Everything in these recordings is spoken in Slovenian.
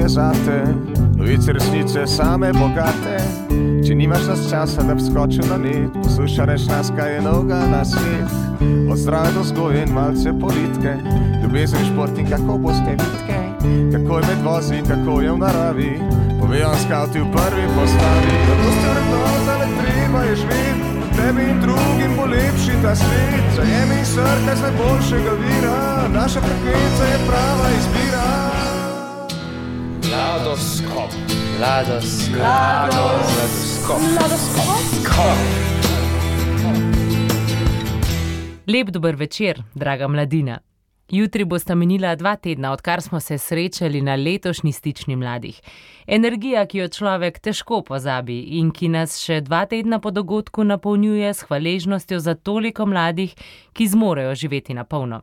je zate, novice resnice same bogate. Če nimaš nas časa, da bi skočil na net, poslušaj reč nas, kaj je novega na svet. Od zdrave do vzgoje in malce politike, ljubezen, šport in kako boste vitke, kako je med vozi in kako je v naravi, povejo vam skavti v prvi postavi. Zato ste vrednota, le treba je živeti, tebi in drugim bo lepši ta svet. Zajemi in srkaj z najboljšega vira, naša frekvenca je prava izbira. Mladoskop. Lep dober večer, draga mladina. Jutri bosta minila 2 tedna, odkar smo se srečali na letošnji Stični mladih. Energija, ki jo človek težko pozabi in ki nas še 2 tedna po dogodku napolnjuje s hvaležnostjo za toliko mladih, ki zmorejo živeti na polno.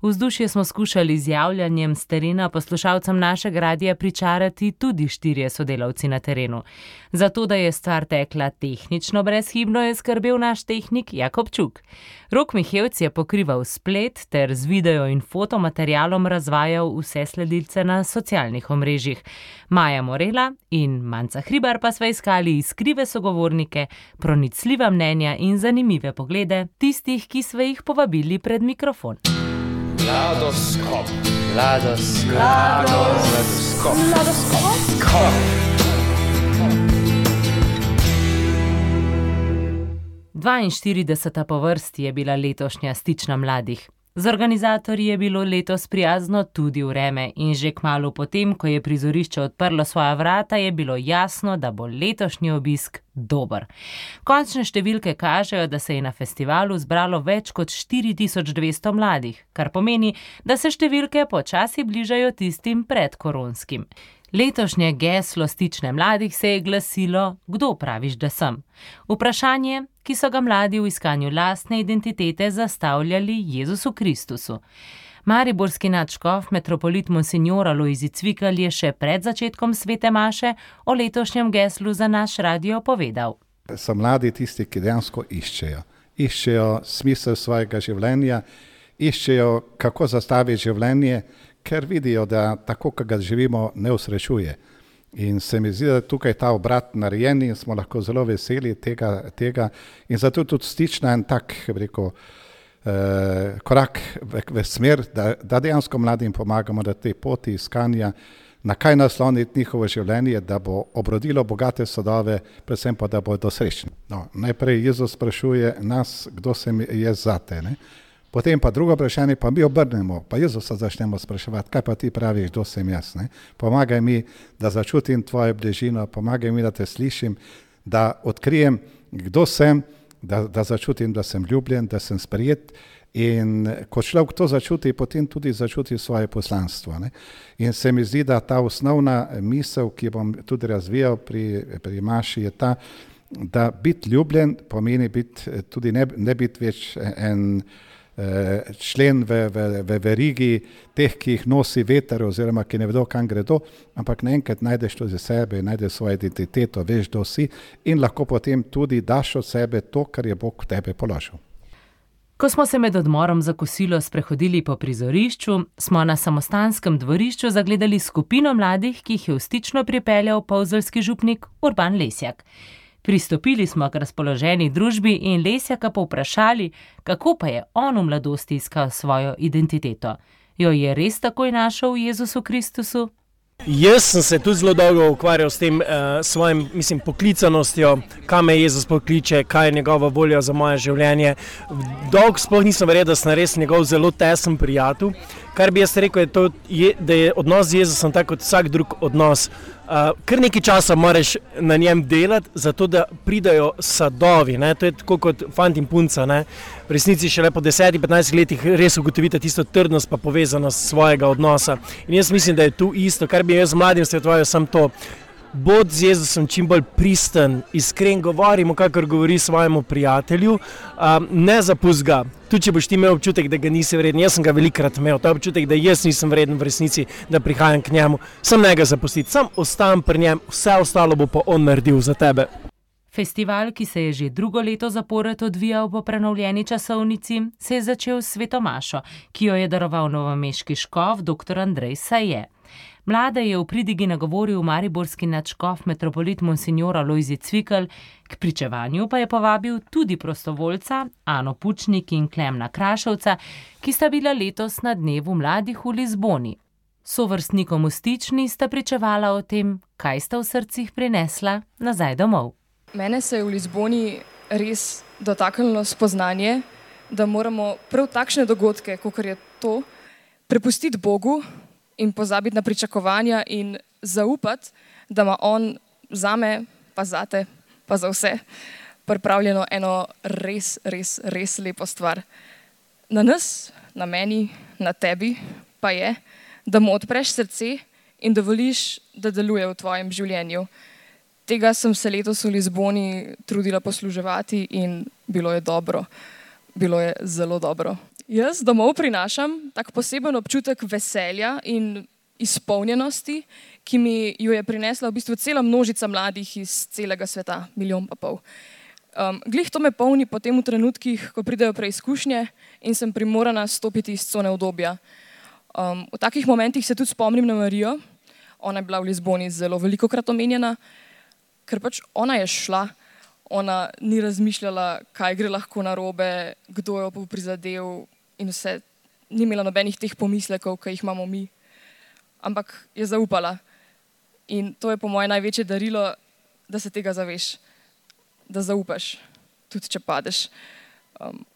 Vzdušje smo skušali z javljanjem s terena poslušalcem našega radija pričarati tudi 4 sodelavci na terenu. Zato, da je stvar tekla tehnično brezhibno, je skrbel naš tehnik Jakob Čuk. Rok Mihevc je pokrival splet ter z video in fotomaterialom razvajal vse sledilce na socialnih omrežjih. Maja Morela in Manca Hribar pa sva iskali iskrive sogovornike, pronicljiva mnenja in zanimive poglede tistih, ki sva jih povabili pred mikrofon. Mladoskop. 42. po vrsti je bila letošnja Stična mladih. Z organizatorji je bilo letos prijazno tudi vreme in že kmalu potem, ko je prizorišče odprlo svoja vrata, je bilo jasno, da bo letošnji obisk dober. Končne številke kažejo, da se je na festivalu zbralo več kot 4200 mladih, kar pomeni, da se številke počasi bližajo tistim predkoronskim. Letošnje geslo Stične mladih se je glasilo: Kdo praviš, da sem? Vprašanje, ki so ga mladi v iskanju lastne identitete zastavljali Jezusu Kristusu. Mariborski nadškof, metropolit monsignor Alojzij Cvikl je še pred začetkom svete maše o letošnjem geslu za naš radio povedal. So mladi tisti, ki dejansko iščejo smisel svojega življenja, iščejo, kako zastaviti življenje, ker vidijo, da tako, kot ga živimo, ne usrečuje. In se mi zdi, da tukaj ta obrat narejen in smo lahko zelo veseli tega. In zato tudi Stična en tak, korak v smer, da dejansko mladim pomagamo, da te poti iskanja, na kaj nasloniti njihovo življenje, da bo obrodilo bogate sadove, predvsem pa, da bodo srečni. No, najprej Jezus sprašuje nas, kdo sem jaz zate, ne? Potem pa drugo vprašanje, pa mi obrnemo, pa Jezusa začnemo spraševati, kaj pa ti praviš, kdo sem jaz, ne? Pomagaj mi, da začutim tvojo bližino, pomagaj mi, da te slišim, da odkrijem, kdo sem, da začutim, da sem ljubljen, da sem sprejet. In ko človek to začuti, potem tudi začuti svoje poslanstvo, ne? In se mi zdi, da ta osnovna misel, ki bom tudi razvijal pri Maši, je ta, da biti ljubljen pomeni tudi ne biti več en člen v verigi teh, ki jih nosi veter oziroma ki ne vedo, kam gredo, ampak naenkrat najdeš to za sebe, najdeš svojo identiteto, veš, kdo si in lahko potem tudi daš od sebe to, kar je Bog v tebe položil. Ko smo se med odmorom za kosilo sprehodili po prizorišču, smo na samostanskem dvorišču zagledali skupino mladih, ki jih je v Stično pripeljal polzeljski župnik Urban Lesjak. Pristopili smo k razpoloženi družbi in Lesjaka povprašali, kako pa je on v mladosti iskal svojo identiteto. Jo je res takoj našel v Jezusu Kristusu? Jaz sem se tudi zelo dolgo ukvarjal s tem svojim, poklicanostjo, kam me Jezus pokliče, kaj je njegova volja za moje življenje. Dolgo sploh nisem verjel, da sem res njegov zelo tesen prijatelj. Kar bi jaz rekel, da je odnos z Jezusom tako kot vsak drug odnos. Kar nekaj časa moraš na njem delati, zato da pridajo sadovi, ne? To je tako kot fant in punca, ne? V resnici šele po 10-15 letih res ugotovite tisto trdnost pa povezanost svojega odnosa. In jaz mislim, da je tu isto, kar bi jaz mladim svetoval, sem to. Bod z Jezusom čim bolj pristen, iskren govorimo, kakor govori svojemu prijatelju, ne zapusti ga. Tudi če boš ti imel občutek, da ga nisi vreden, jaz sem ga velikrat imel, ta občutek, da jaz nisem vreden v resnici, da prihajam k njemu, sam ne ga zapustiti, sam ostam pri njem, vse ostalo bo pa on naredil za tebe. Festival, ki se je že 2. leto zapored odvijal po prenovljeni časovnici, se je začel s sveto mašo, ki jo je daroval novomeški škof dr. Andrej Saje. Mlade je v pridigi nagovoril mariborski nadškof metropolit monsignor Alojzij Cvikl, k pričevanju pa je povabil tudi prostovoljca Ano Pučnik in Klemna Krašovca, ki sta bila letos na dnevu mladih v Lizboni. Sovrstnikom v Stični sta pričevala o tem, kaj sta v srcih prinesla nazaj domov. Mene se je v Lizboni res dotaknilo spoznanje, da moramo prav takšne dogodke, kakor je to, prepustiti Bogu in pozabiti na pričakovanja in zaupati, da ima on zame, pa zate, pa za vse pripravljeno eno res lepo stvar. Na nas, na meni, na tebi pa je, da mu odpreš srce in dovoliš, da deluje v tvojem življenju. Tega sem se letos v Lizboni trudila posluževati in bilo je dobro. Bilo je zelo dobro. Jaz domov prinašam tak poseben občutek veselja in izpolnjenosti, ki mi jo je prinesla v bistvu cela množica mladih iz celega sveta, 1,5 milijona. Glih to me polni potem v trenutkih, ko pridejo preizkušnje in sem primorana stopiti iz cone udobja. V takih momentih se tudi spomnim na Marijo. Ona je bila v Lizboni zelo velikokrat omenjena, ker pač ona je šla. Ona ni razmišljala, kaj gre lahko narobe, kdo jo bo prizadel in vse. Ni imela nobenih teh pomislekov, ki jih imamo mi. Ampak je zaupala. In to je po moje največje darilo, da se tega zaveš. Da zaupaš, tudi če padeš.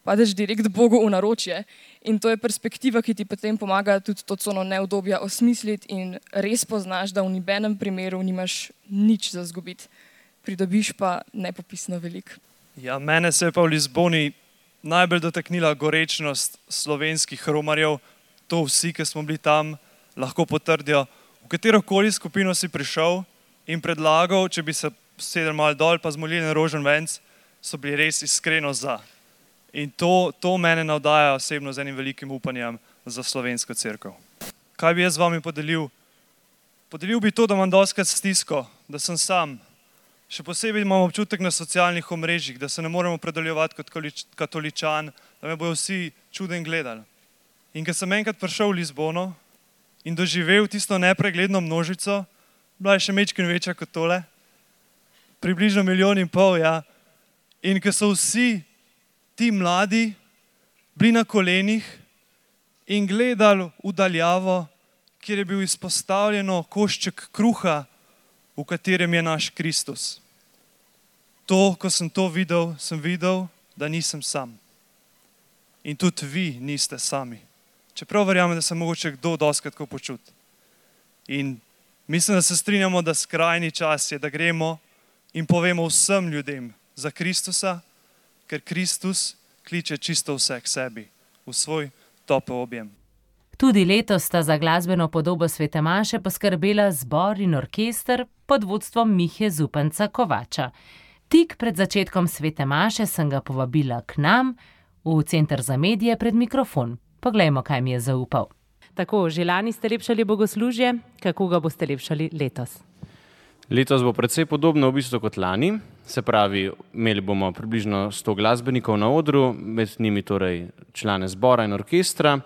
Padeš direkt Bogu v naročje. In to je perspektiva, ki ti potem pomaga tudi to cono neudobja osmisliti in res poznaš, da v nobenem primeru nimaš nič za izgubiti. Pridobiš pa nepopisno veliko. Ja, mene se je pa v Lizboni najbolj dotaknila gorečnost slovenskih romarjev. To vsi, ki smo bili tam, lahko potrdijo. V katerokoli skupino si prišel in predlagal, če bi se sedel malo dol pa zmolili na rožen venc, so bili res iskreno za. In to mene navdaja osebno z enim velikim upanjem za slovensko cerkev. Kaj bi jaz z vami podelil? Podelil bi to, da imam dostikrat stisko, da sem sam. Še posebej imam občutek na socialnih omrežjih, da se ne moremo predaljevati kot katoličan, da me bojo vsi čuden gledali. In ko sem enkrat prišel v Lizbono in doživel tisto nepregledno množico, bila je še mečkin večja kot tole, približno 1,5 milijona, ja. In ko so vsi ti mladi bili na kolenih in gledali v daljavo, kjer je bil izpostavljeno košček kruha, v katerem je naš Kristus. Ko sem to videl, sem videl, da nisem sam. In tudi vi niste sami. Čeprav verjamem, da se mogoče kdo dostikrat tako počuti. In mislim, da se strinjamo, da skrajni čas je, da gremo in povemo vsem ljudem za Kristusa, ker Kristus kliče čisto vse k sebi, v svoj topel objem. Tudi letos sta za glasbeno podobo svete maše poskrbela zbor in orkester pod vodstvom Mihe Zupanca Kovača. Tik pred začetkom svete maše sem ga povabila k nam v Center za medije pred mikrofon. Poglejmo, kaj mi je zaupal. Tako, že lani ste lepšali bogoslužje, kako ga boste lepšali letos? Letos bo precej podobno v bistvu kot lani, se pravi, imeli bomo približno 100 glasbenikov na odru, med njimi torej člane zbora in orkestra,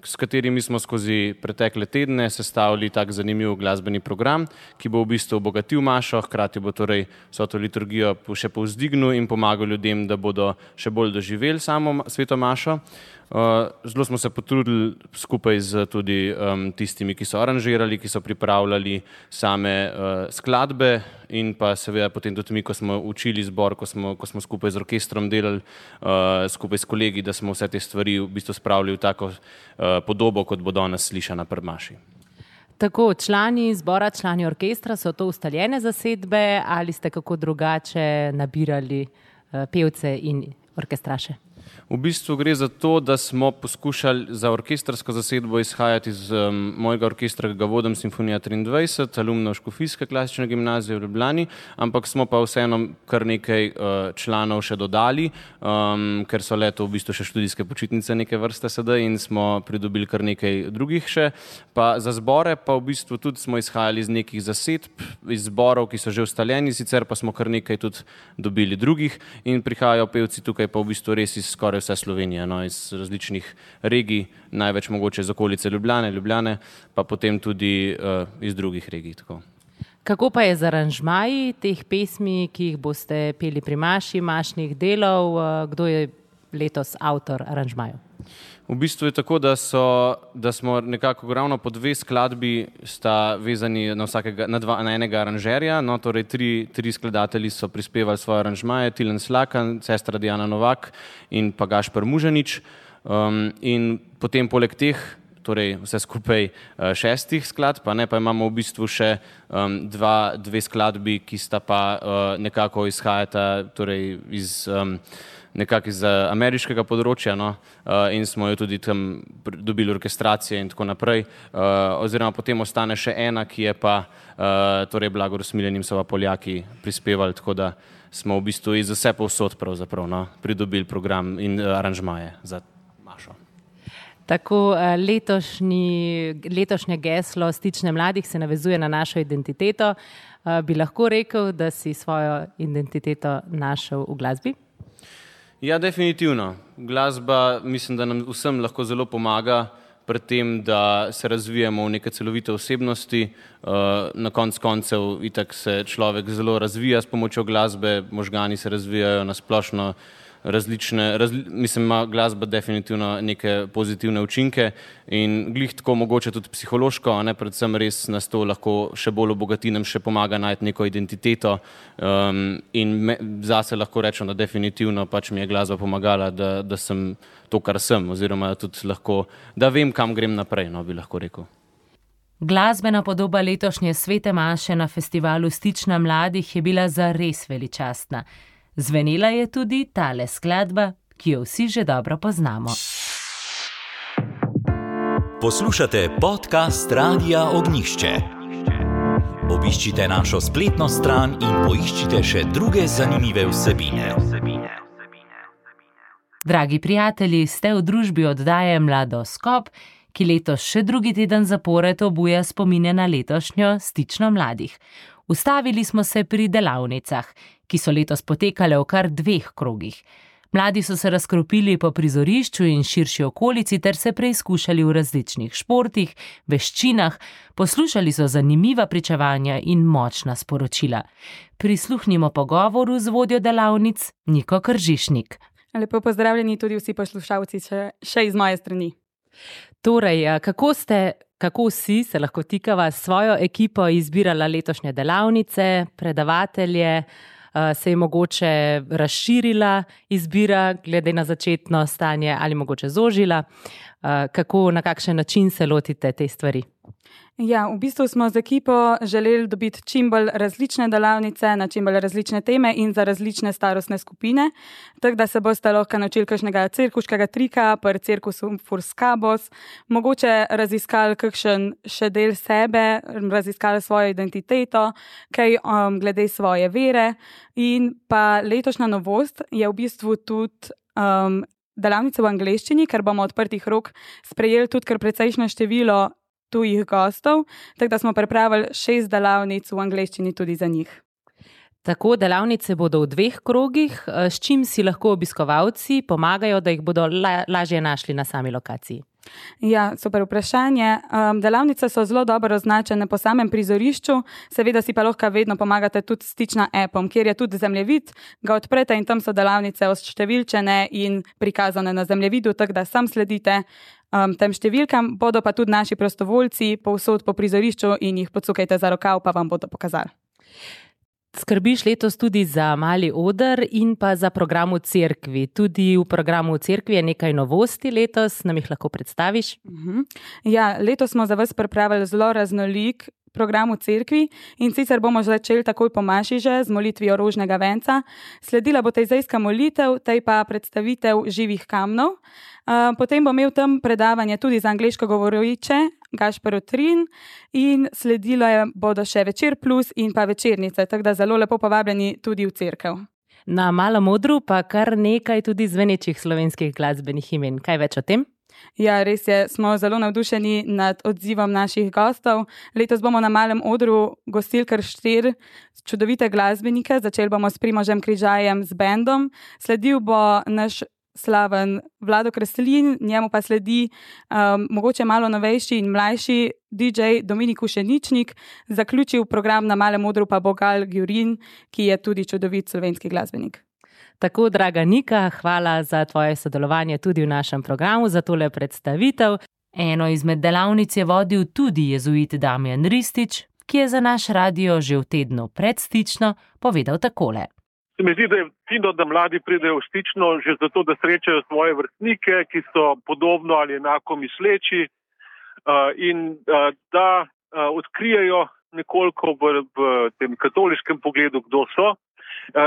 s katerimi smo skozi pretekle tedne sestavili tak zanimiv glasbeni program, ki bo v bistvu obogatil mašo, hkrati bo torej vso to liturgijo še povzdignil in pomagal ljudem, da bodo še bolj doživeli samo sveto mašo. Zelo smo se potrudili skupaj z tudi tistimi, ki so aranžirali, ki so pripravljali same skladbe in pa seveda potem tudi mi, ko smo učili zbor, ko smo skupaj z orkestrom delali, skupaj s kolegi, da smo vse te stvari v bistvu spravili v tako podobo, kot bo danes slišana pri maši. Tako, člani zbora, člani orkestra, so to ustaljene zasedbe ali ste kako drugače nabirali pevce in orkestraše? V bistvu gre za to, da smo poskušali za orkestrsko zasedbo izhajati iz mojega orkestra, ki ga vodim, Simfonija 23, alumnov Škofijske klasične gimnazije v Ljubljani, ampak smo pa vseeno kar nekaj članov še dodali, ker so leto v bistvu še študijske počitnice neke vrste sedaj in smo pridobili kar nekaj drugih še. Pa za zbore pa v bistvu tudi smo izhajali iz nekih zasedb, iz zborov, ki so že ustaljeni, sicer pa smo kar nekaj tudi dobili drugih in prihajajo pevci tukaj pa v bistvu res iz skoraj skoraj vse Slovenije, no, iz različnih regij, največ mogoče iz okolice Ljubljane, pa potem tudi iz drugih regij. Tako. Kako pa je z aranžmaji teh pesmi, ki jih boste peli pri mašnih delov? Kdo je letos avtor aranžmajev? V bistvu je tako, da smo nekako ravno po 2 skladbi sta vezani na enega aranžerja, no, torej 3 skladatelji so prispevali svoje aranžmaje, Tilen Slakan, sestra Diana Novak in pa Gašper Mužanič. In potem poleg teh, torej vse skupaj 6 skladb, pa imamo v bistvu še 2 skladbi, ki sta pa nekako izhajata torej iz ameriškega področja, no, in smo jo tudi tam dobili orkestracije in tako naprej. Oziroma potem ostane še ena, ki je pa torej Blagor Smiljan in so pa Poljaki prispevali, tako da smo v bistvu iz vse povsod pravzaprav, no, pridobili program in aranžmaje za Mašo. Tako letošnje geslo Stične mladih se navezuje na našo identiteto. Bi lahko rekel, da si svojo identiteto našel v glasbi? Ja, definitivno. Glasba mislim, da nam vsem lahko zelo pomaga pri tem, da se razvijamo v neke celovite osebnosti. Na koncev itak se človek zelo razvija s pomočjo glasbe, možgani se razvijajo na splošno ima glasba definitivno neke pozitivne učinke in glih tako mogoče tudi psihološko, predvsem res nas to lahko še bolj obogati, nam še pomaga najti neko identiteto in zase lahko rečem, da definitivno pač mi je glasba pomagala, da sem to, kar sem, oziroma tudi lahko, da vem, kam grem naprej, no, bi lahko rekel. Glasbena podoba letošnje Svete maše na festivalu Stična mladih je bila zares veličastna. Zvenela je tudi tale skladba, ki jo vsi že dobro poznamo. Poslušate podcast Radia Ognjišče. Obiščite našo spletno stran in poiščite še druge zanimive vsebine. Dragi prijatelji, ste v družbi oddaje Mladoskop, ki letos še drugi teden zapored obuja spomine na letošnjo Stično mladih. Ustavili smo se pri delavnicah, ki so letos potekale v kar 2 krogih. Mladi so se razkropili po prizorišču in širši okolici ter se preizkušali v različnih športih, veščinah, poslušali so zanimiva pričevanja in močna sporočila. Prisluhnimo pogovoru z vodjo delavnic Niko Kržišnik. Lepo pozdravljeni tudi vsi poslušalci še iz moje strani. Torej, kako si se lahko tikava s svojo ekipo izbirala letošnje delavnice, predavatelje, se je mogoče razširila izbira glede na začetno stanje ali mogoče zožila? Na kakšen način se lotite te stvari? Ja, v bistvu smo z ekipo želeli dobiti čim bolj različne delavnice na čim bolj različne teme in za različne starostne skupine, tako da se boste lahko naučili kakšnega cirkuškega trika, pri cirkusu Furskabos, mogoče raziskali kakšen še del sebe, raziskali svojo identiteto, kaj glede svoje vere in pa letošnja novost je v bistvu tudi delavnice v angleščini, ker bomo odprtih rok sprejeli tudi kar precejšnje število tujih gostov, tako da smo pripravili 6 delavnic v angleščini tudi za njih. Tako, delavnice bodo v 2 krogih, s čim si lahko obiskovalci pomagajo, da jih bodo lažje našli na sami lokaciji? Ja, super vprašanje. Delavnice so zelo dobro označene po samem prizorišču, seveda si pa lahko vedno pomagate tudi s Stična appom, kjer je tudi zemljevid, ga odprete in tam so delavnice oštevilčene in prikazane na zemljevidu, tako da sam sledite tem številkam, bodo pa tudi naši prostovoljci povsod po prizorišču in jih pocukajte za rokav, pa vam bodo pokazali. Skrbiš letos tudi za mali oder in pa za program v cerkvi. Tudi v programu v cerkvi je nekaj novosti letos, nam jih lahko predstaviš? Ja, letos smo za vas pripravili zelo raznolik program v cerkvi in sicer bomo začeli takoj po maši že z molitvijo rožnega venca. Sledila bo tejzejska molitev, tej pa predstavitev živih kamnov. Potem bo imel tam predavanje tudi za angleško govoriče Gašper Otrin in sledilo bodo še Večer plus in pa večernice, tako da zelo lepo povabljeni tudi v cerkev. Na Malem odru pa kar nekaj tudi zvenečih slovenskih glasbenih imen. Kaj več o tem? Ja, res je, smo zelo navdušeni nad odzivom naših gostov. Letos bomo na Malem odru gostili kar 4 čudovite glasbenike. Začeli bomo s Primožem Križajem z bendom. Sledil bo naš slaven Vlado Kreslin, njemu pa sledi mogoče malo novejši in mlajši DJ Dominik Ušeničnik, zaključil program na Malem odru pa bo Gal Gjurin, ki je tudi čudovit slovenski glasbenik. Tako, draga Nika, hvala za tvoje sodelovanje tudi v našem programu, za tole predstavitev. Eno izmed delavnic je vodil tudi jezuit Damjan Ristič, ki je za naš radio že v tednu pred Stično povedal takole. Se mi zdi, da je fino, da mladi pridejo v Stično že zato, da srečajo svoje vrstnike, ki so podobno ali enako misleči in da odkrijejo nekoliko v tem katoliškem pogledu, kdo so.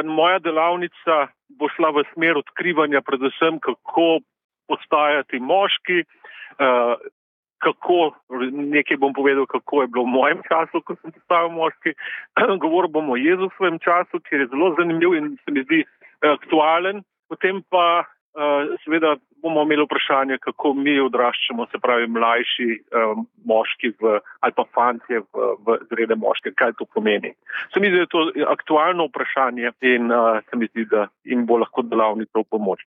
Moja delavnica bo šla v smer odkrivanja predvsem, kako postajati moški, nekaj bom povedal, kako je bilo v mojem času, ko sem postal moški. Govoril bom o Jezusovem času, ki je zelo zanimiv in se mi zdi aktualen. Potem pa seveda bomo imeli vprašanje, kako mi odraščamo, se pravi mlajši moški ali pa fantje v zrele moške, kaj to pomeni. Se mi zdi, da je to aktualno vprašanje in se mi zdi, da jim bo lahko delavnica v pomoč.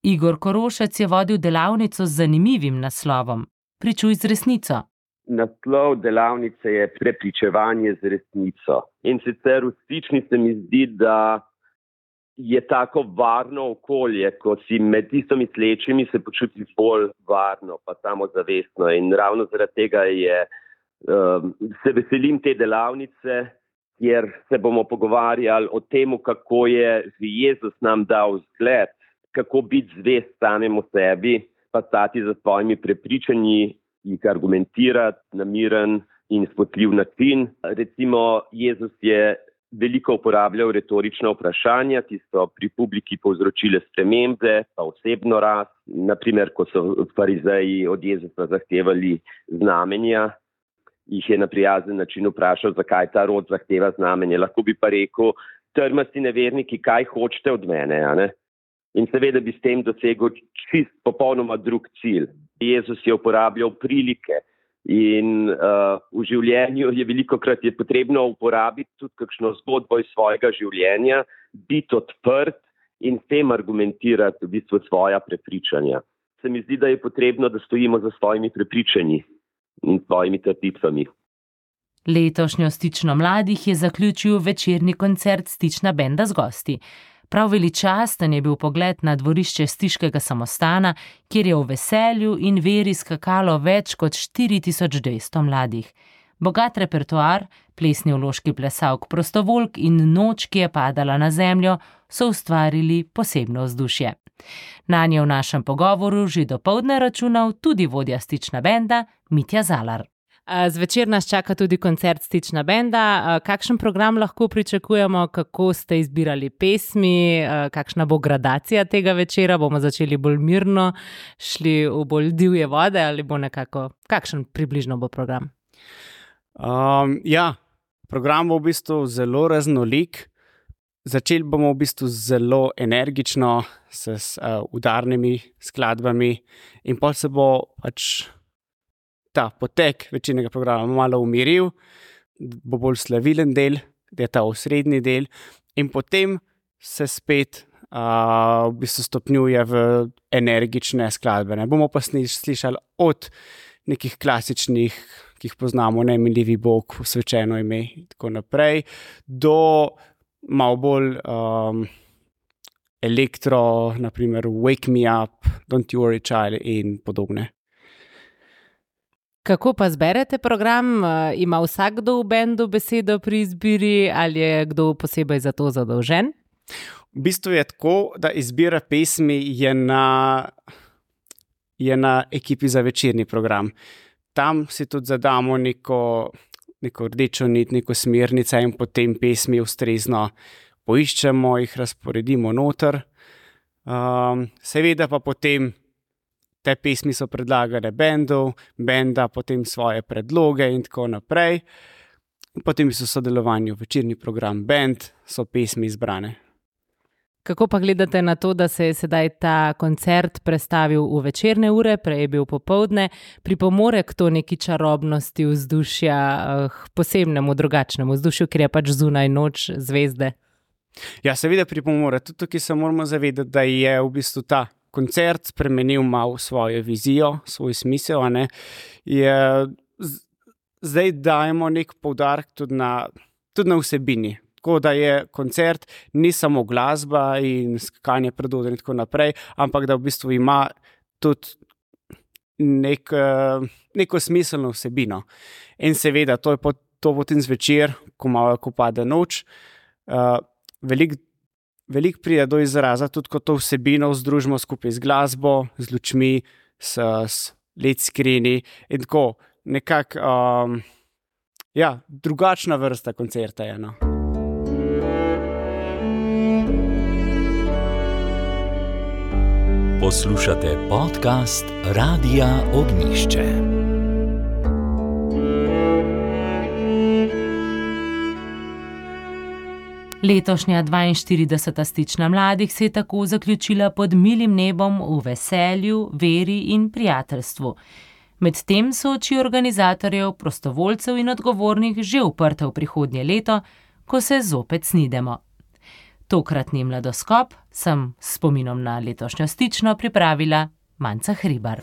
Igor Korošec je vodil delavnico z zanimivim naslovom Pričuj z resnico. Naslov delavnice je Prepričevanje z resnico. In sicer v Stični se mi zdi, da je tako varno okolje, ko si med istomislečimi se počutiš bolj varno, pa samozavestno. In ravno zaradi tega se veselim te delavnice, kjer se bomo pogovarjali o tem, kako je Jezus nam dal zgled, kako biti zvest samemu sebi, pa stati za svojimi prepričanji, jih argumentirati na miren in spotljiv način. Recimo, Jezus je veliko uporabljal retorična vprašanja, ki so pri publiki povzročile spremembe, pa osebno rast. Naprimer, ko so farizeji od Jezusa zahtevali znamenja, jih je na prijazen način vprašal, zakaj ta rod zahteva znamenje. Lahko bi pa rekel, trmasti neverniki, kaj hočete od mene, a ne? In seveda bi s tem dosegel čist popolnoma drug cilj. Jezus je uporabljal prilike in v življenju je velikokrat potrebno uporabiti tudi kakšno zgodbo iz svojega življenja, biti odprt in s tem argumentirati v bistvu svoja prepričanja. Se mi zdi, da je potrebno, da stojimo za svojimi prepričanji in svojimi trditvami. Letošnjo Stično mladih je zaključil večerni koncert Stična benda z gosti. Prav veličasten je bil pogled na dvorišče stiškega samostana, kjer je v veselju in veri skakalo več kot 4200 mladih. Bogat repertoar, plesni vložki plesalk prostovoljk in noč, ki je padala na zemljo, so ustvarili posebno vzdušje. Nanje v našem pogovoru že dopoldne računal tudi vodja Stična benda Mitja Zalar. Zvečer nas čaka tudi koncert Stična benda. Kakšen program lahko pričakujemo, kako ste izbirali pesmi, kakšna bo gradacija tega večera? Bomo začeli bolj mirno, šli v bolj divje vode ali bo nekako, kakšen približno bo program? Program bo v bistvu zelo raznolik. Začeli bomo v bistvu zelo energično, s udarnimi skladbami in potem se bo ta potek večernega programa malo umiril, bo bolj slavilen del, da je ta osrednji del in potem se spet v bistvu stopnjuje v energične skladbe. Ne bomo pa slišali od nekih klasičnih, ki jih poznamo, Nemiljivi Bog, Svečeno ime in tako naprej, do malo bolj elektro, naprimer Wake Me Up, Don't You Worry Child in podobne. Kako pa zberete program? Ima vsakdo v bendu besedo pri izbiri ali je kdo posebej za to zadolžen? V bistvu je tako, da izbira pesmi je na ekipi za večerni program. Tam si tudi zadamo neko rdečo nit, neko smernico in potem pesmi ustrezno poiščemo, jih razporedimo noter. Seveda pa potem te pesmi so predlagane benda potem svoje predloge in tako naprej. Potem so sodelovanju večerni program bend, so pesmi izbrane. Kako pa gledate na to, da se je sedaj ta koncert prestavil v večerne ure, prej je bil popoldne, pripomore k to neki čarobnosti vzdušja, posebnemu, drugačnemu vzdušju, ker je pač zunaj noč, zvezde? Ja, seveda pripomore. Tudi tukaj se moramo zavedati, da je v bistvu ta koncert spremenil malo svojo vizijo, svoj smisel. Zdaj dajemo nek poudarek tudi na vsebini. Tako da je koncert ni samo glasba in skakanje pred oder in tako naprej, ampak da v bistvu ima tudi neko smiselno vsebino. In seveda, to potem zvečer, ko pade noč, veliko pride do izraza, tudi ko to vsebino združimo skupaj z glasbo, z lučmi, s LED screeni in tako nekako, drugačna vrsta koncerta je, no. Poslušate podcast Radia Ognjišče. Letošnja 42. stična mladih se je tako zaključila pod milim nebom v veselju, veri in prijateljstvu. Medtem so oči organizatorjev, prostovoljcev in odgovornih že uprte v prihodnje leto, ko se zopet snidemo. Tokratni mladoskop sem s spominom na letošnjo stično pripravila Manca Hribar.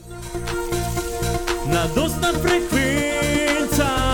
Mladostna frekvenca